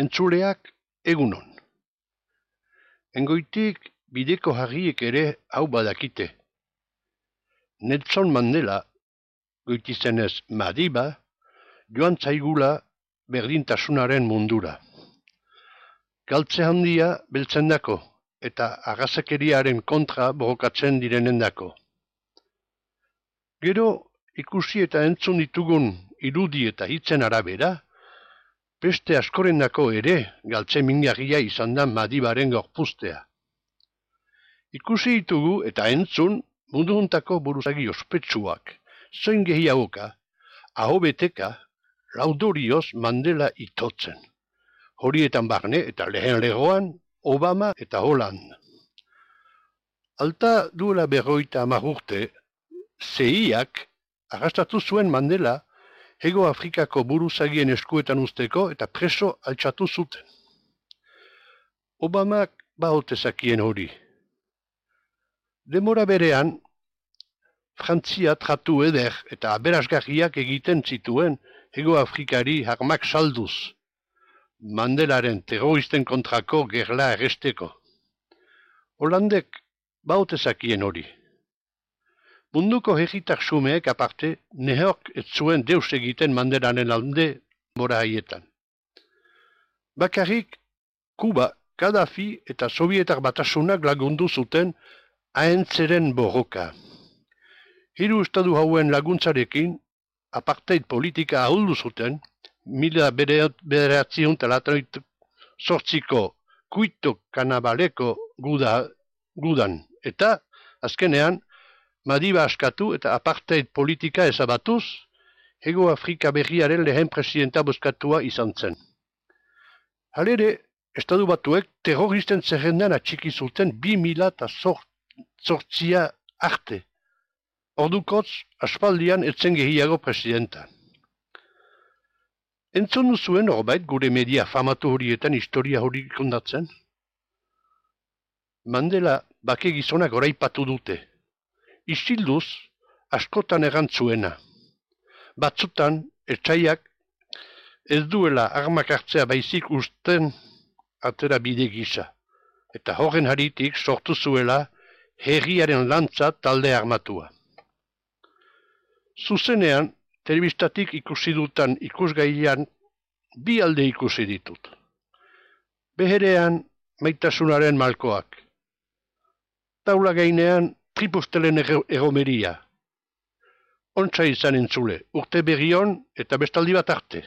Entzuleak egunon. Engoitik bideko harriek ere hau badakite. Nelson Mandela, goitizenez Madiba, joan zaigula berdintasunaren mundura. Galtze handia beltzendako eta agazakeriaren kontra borrokatzen direnendako. Gero ikusi eta entzun ditugun irudi eta hitzen arabera, beste askorendako ere galtze mingarria izan da Madibaren gorpuztea. Ikusi ditugu eta entzun munduntako buruzagi ospetsuak, zoin gehiagoka, aho beteka, laudorioz Mandela itotzen. Horietan barne eta lehen legoan Obama eta Holland. Alta duela 50 urte, CIA-ak arrastatu zuen Mandela Hego Afrikako buruzagien eskuetan usteko eta preso altxatu zuten. Obamak baotezakien hori. Demora berean, Frantzia tratu eder eta aberasgarriak egiten zituen Hego Afrikari armak salduz, Mandelaren terroristen kontrako gerla erresteko. Holandek baotezakien hori. Munduko herritar xumeek aparte, nehork ez zuen deus egiten Mandelaren alde mora haietan. Bakarrik, Kuba, Gaddafi eta Sovietar batasunak lagundu zuten ahentzeren borroka. Hiru estadu hauen laguntzarekin, apartheid politika ahuldu zuten, 1948ko Kuito Kanabaleko gudan, eta, azkenean, Madiba askatu eta apartheid politika ezabatuz, Hego Afrika berriaren lehen presidenta bozkatua izan zen. Halere, Estadu Batuek terroristen zerrendan atxiki zuten 2008 arte. Ordukotz, aspaldian etzen gehiago presidenta. Entzun duzuen horbait gure media famatu horietan historia hori kondatzen? Mandela bake gizonak oraipatu dute. Isilduz, askotan errantzuena. Batzutan, etxaiak ez duela armak hartzea baizik usten atera bide gisa. Eta horren haritik sortu zuela herriaren lantza talde armatua. Zuzenean, telebistatik ikusi dutan ikusgaian bi alde ikusi ditut. Beherean, maitasunaren malkoak. Taula gainean, tripustelen egomeria. Ontsa izan entzule, urte berrion eta bestaldi bat arte.